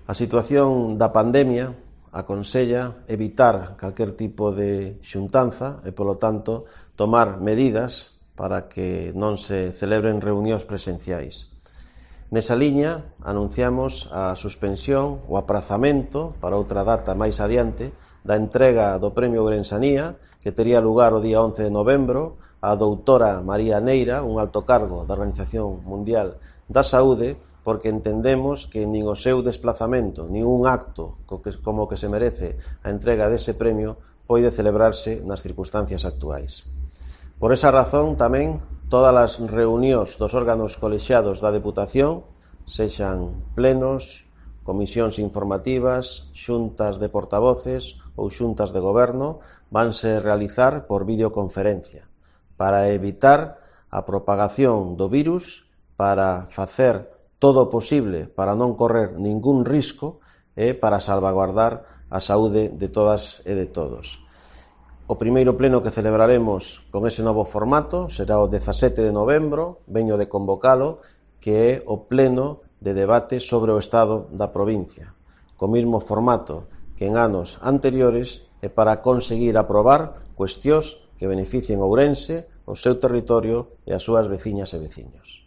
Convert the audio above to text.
A situación da pandemia aconsella evitar calquer tipo de xuntanza e, polo tanto, tomar medidas para que non se celebren reunións presenciais. Nesa liña, anunciamos a suspensión, o aprazamento para outra data máis adiante, da entrega do Premio Ourensanía, que tería lugar o día 11 de novembro, á doutora María Neira, un alto cargo da Organización Mundial da Saúde, porque entendemos que nin o seu desplazamento, nin un acto como que se merece a entrega dese premio pode celebrarse nas circunstancias actuais. Por esa razón, tamén, todas as reunións dos órganos colexiados da Deputación, sexan plenos, comisións informativas, xuntas de portavoces ou xuntas de goberno, vanse realizar por videoconferencia, para evitar a propagación do virus, para facer todo o posible para non correr ningún risco e para salvaguardar a saúde de todas e de todos. O primeiro pleno que celebraremos con ese novo formato será o 17 de novembro, veño de convocalo, que é o pleno de debate sobre o estado da provincia, co mesmo formato que en anos anteriores e para conseguir aprobar cuestións que beneficien Ourense, o seu territorio e as súas veciñas e veciños.